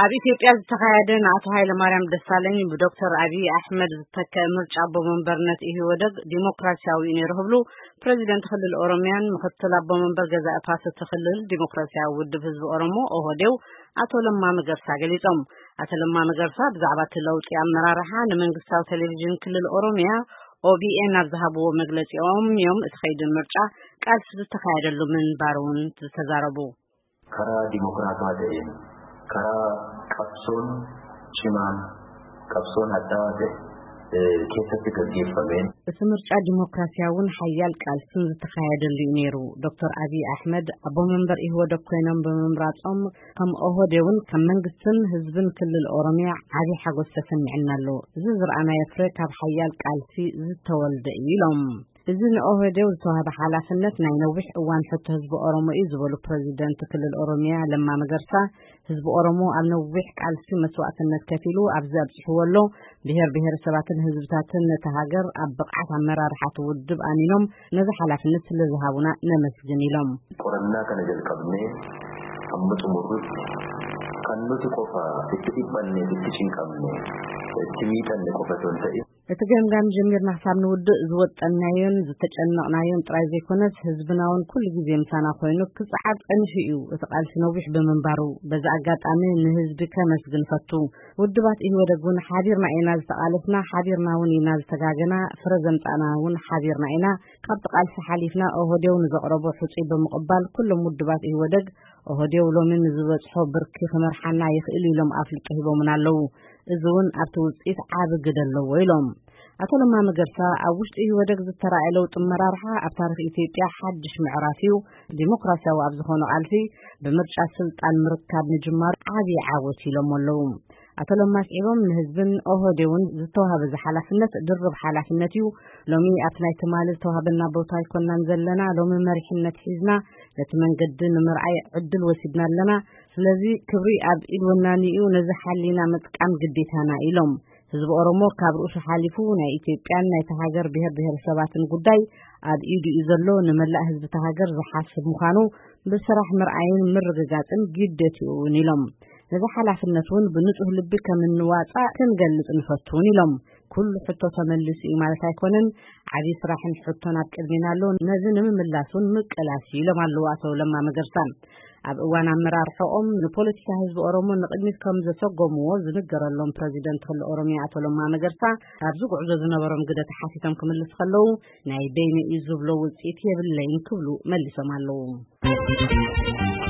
ኣብ ኢትዮጵያ ዝተኻየደ ንኣቶ ሃይለማርያም ደሳለኝ ብዶክተር ኣብይ ኣሕመድ ዝተከአ ምርጫ ኣቦ መንበርነት ኢህወደግ ዲሞክራሲያዊ እዩ ነይሩ ክብሉ ፕሬዚደንት ክልል ኦሮሚያን ምክትል ኣቦ መንበር ገዛኢ ፓርቲ ክልል ዲሞክራሲያዊ ውድብ ህዝቢ ኦሮሞ ኦህዴው ኣቶ ለማ መገርሳ ገሊጾም። ኣቶ ለማ መገርሳ ብዛዕባ እቲ ለውጢ ኣመራርሓ ንመንግስታዊ ቴሌቪዥን ክልል ኦሮሚያ ኦቢኤን ኣብ ዝሃብዎ መግለጺኦም እዮም እቲ ከይዲ ምርጫ ቃልሲ ዝተኻየደሉ ምንባሩ እውን ዝተዛረቡ። Karaa dimokiraatawaa ta'een, karaa qabsoon cimaan, qabsoon hadhaawaa ta'e keessatti gaggeeffameen. እቲ ምርጫ ዲሞክራሲያውን ሓያል ቃልስን ዝተኻየደሉ እዩ ነይሩ። ዶክተር ኣብይ ኣሕመድ ኣቦ መንበር ኢህወደግ ኮይኖም ብምምራጾም ከም ኦህዴውን ከም መንግስትን ህዝብን ክልል ኦሮሚያ ዓቢ ሓጎስ ተሰሚዕና ኣሎ። እዚ ዝረኣናዮ ፍረ ካብ ሓያል ቃልሲ ዝተወልደ እዩ ኢሎም። እዚ ንኦህዴው ዝተዋህበ ሓላፍነት ናይ ነዊሕ እዋን ሕቶ ህዝቢ ኦሮሞ እዩ ዝበሉ ፕረዚደንት ክልል ኦሮሚያ ለማ መገርሳ፣ ህዝቢ ኦሮሞ ኣብ ነዊሕ ቃልሲ መስዋእትነት ከፊሉ ኣብዚ ኣብፅሕዎ ኣሎ። ብሔር ብሔረሰባትን ህዝብታትን ነቲ ሃገር ኣብ ብቕዓት ኣመራርሓ እቲ ውድብ ኣሚኖም ነዚ ሓላፍነት ስለ ዝሃቡና ነመስግን ኢሎም። Qorannaa kana jalqabnee amma xumurrutti kan nuti qofa itti dhiphanne, itti cinqamne, itti miidhanne qofa osoo hin ta'in. እቲ ገምጋም ጀሚርና ክሳብ ንውድእ ዝወጠናዮን ዝተጨነቕናዮን ጥራይ ዘይኮነስ ህዝብና እውን ኩሉ ግዜ ምሳና ኮይኑ ክጸዓር ጸኒሑ እዩ። እቲ ቃልሲ ነዊሕ ብምንባሩ በዚ ኣጋጣሚ ንህዝቢ ከመስግን ፈቱ። ውድባት ኢህወደግ እውን ሓቢርና ኢና ዝተቓለስና፣ ሓቢርና እውን ኢና ዝተጋገና፣ ፍረ ዘምጻእና እውን ሓቢርና ኢና። ካብቲ ቃልሲ ሓሊፍና ኦህዴው ንዘቕረቦ ሕጹይ ብምቕባል ኩሎም ውድባት ኢህወደግ ኦህዴው ሎሚ ንዝበጽሖ ብርኪ ክመርሓና ይኽእል ኢሎም ኣፍልጦ ሂቦምና ኣለዉ። እዚ እውን ኣብቲ ውፅኢት ዓቢ ግደ ኣለዎ ኢሎም። ኣቶ ለማ መገርሳ ኣብ ውሽጢ ኢህወደግ ዝተራእየ ለውጢ ኣመራርሓ ኣብ ታሪኽ ኢትዮጵያ ሓድሽ ምዕራፍ እዩ፣ ዲሞክራሲያዊ ኣብ ዝኾነ ቃልሲ ብምርጫ ስልጣን ምርካብ ምጅማሩ ዓቢ ዓወት ኢሎም ኣለዉ። ኣቶ ለማ ኣስዒቦም ንህዝብን ኦህዴውን ዝተዋሃበ እዚ ሓላፍነት ድርብ ሓላፍነት እዩ። ሎሚ ኣብቲ ናይ ትማሊ ዝተዋሃበና ቦታ ኣይኮናን ዘለና፣ ሎሚ መሪሕነት ሒዝና ነቲ መንገዲ ንምርኣይ ዕድል ወሲድና ኣለና። ስለዚ ክብሪ ኣብ ኢድ ወናኒኡ ነዚ ሓሊና ምጥቃም ግዴታና ኢሎም። ህዝቢ ኦሮሞ ካብ ርእሱ ሓሊፉ ናይ ኢትዮጵያን ናይቲ ሃገር ብሔር ብሔረሰባትን ጉዳይ ኣብ ኢዱ እዩ ዘሎ። ንመላእ ህዝቢ እታ ሃገር ዝሓስብ ምዃኑ ብስራሕ ምርኣይን ምርግጋፅን ግዴትኡ እውን ኢሎም። ነዚ ሓላፍነት እውን ብንፁህ ልቢ ከም እንዋፃእ ክንገልፅ ንፈቱ እውን ኢሎም። ኩሉ ሕቶ ተመሊሱ እዩ ማለት ኣይኮነን። ዓብዪ ስራሕን ሕቶን ኣብ ቅድሚና ኣሎ። ነዚ ንምምላስ እውን ምቅላስ እዩ ኢሎም ኣለዉ ኣቶ ለማ መገርሳ። ኣብ እዋን ኣመራርሖኦም ንፖለቲካ ህዝቢ ኦሮሞ ንቅድሚት ከም ዘሰጎምዎ ዝንገረሎም ፕረዚደንት ክልል ኦሮሚያ ኣቶ ለማ መገርሳ ኣብዚ ጉዕዞ ዝነበሮም ግደ ተሓቲቶም ክምልስ ከለዉ ናይ በይነ እዩ ዝብሎ ውፅኢት የብለይን ክብሉ መሊሶም ኣለዉ።